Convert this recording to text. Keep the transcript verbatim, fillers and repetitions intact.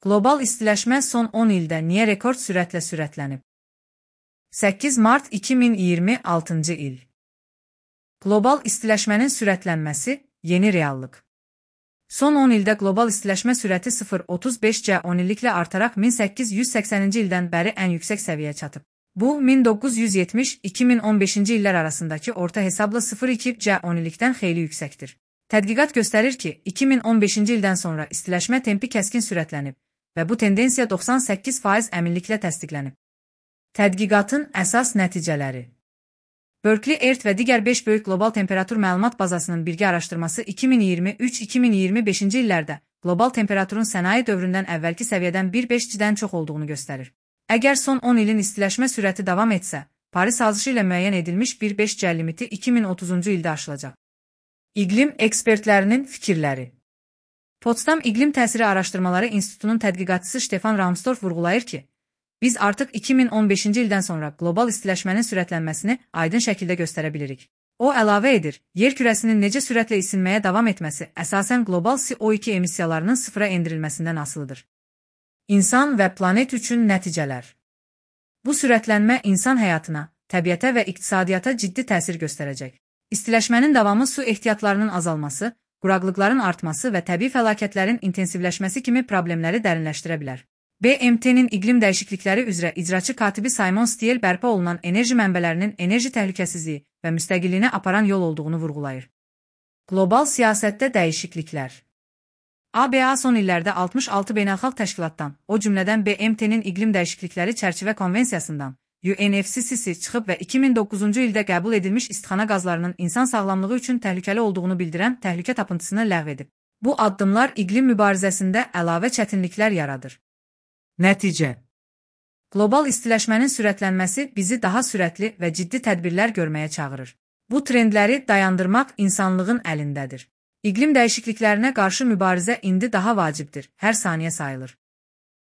Qlobal istiləşmə son on ildə niyə rekord sürətlə sürətlənib? səkkiz mart iki min iyirmi altıncı il. Qlobal istiləşmənin sürətlənməsi yeni reallıq. Son on ildə qlobal istiləşmə sürəti sıfır nöqtə otuz beş C on illiklə artaraq min səkkiz yüz səksəninci ildən bəri ən yüksək səviyyəyə çatıb. Bu, min doqquz yüz yetmiş - iki min on beşinci illər arasındakı orta hesabla sıfır nöqtə iki C on illikdən xeyli yüksəkdir. Tədqiqat göstərir ki, iki min on beşinci ildən sonra istiləşmə tempi kəskin sürətlənib və bu tendensiya doxsan səkkiz faiz əminliklə təsdiqlənib. Tədqiqatın əsas nəticələri. Berkeley Earth və digər beş böyük qlobal temperatur məlumat bazasının birgə araşdırması iki min iyirmi üç - iki min iyirmi beşinci illərdə qlobal temperaturun sənaye dövründən əvvəlki səviyyədən bir nöqtə beş-dən çox olduğunu göstərir. Əgər son on ilin istiləşmə sürəti davam etsə, Paris sazışı ilə müəyyən edilmiş bir nöqtə beş C limiti iki min otuzuncu ildə aşılacaq. İqlim ekspertlərinin fikirləri. Potsdam İqlim Təsiri Araşdırmaları İnstitutunun tədqiqatçısı Stefan Rahmstorf vurğulayır ki, biz artıq iki min on beşinci ildən sonra qlobal istiləşmənin sürətlənməsini aydın şəkildə göstərə bilirik. O əlavə edir, yer kürəsinin necə sürətlə isinməyə davam etməsi əsasən qlobal C O iki emissiyalarının sıfıra endirilməsindən asılıdır. İnsan və planet üçün nəticələr. Bu sürətlənmə insan həyatına, təbiətə və iqtisadiyyata ciddi təsir göstərəcək. İstiləşmənin davamı su ehtiyatlarının azalması, quraqlıqların artması və təbii fəlakətlərin intensivləşməsi kimi problemləri dərinləşdirə bilər. B M T-nin iqlim dəyişiklikləri üzrə icraçı katibi Simon Stiel bərpa olunan enerji mənbələrinin enerji təhlükəsizliyi və müstəqilliyinə aparan yol olduğunu vurğulayır. Qlobal siyasətdə dəyişikliklər. A B A son illərdə altmış altı beynəlxalq təşkilatdan, o cümlədən B M T-nin iqlim dəyişiklikləri çərçivə konvensiyasından, U N F C C C çıxıb və iki min doqquzuncu ildə qəbul edilmiş istixana qazlarının insan sağlamlığı üçün təhlükəli olduğunu bildirən təhlükə tapıntısını ləğv edib. Bu addımlar iqlim mübarizəsində əlavə çətinliklər yaradır. Nəticə. Qlobal istiləşmənin sürətlənməsi bizi daha sürətli və ciddi tədbirlər görməyə çağırır. Bu trendləri dayandırmaq insanlığın əlindədir. İqlim dəyişikliklərinə qarşı mübarizə indi daha vacibdir, hər saniyə sayılır.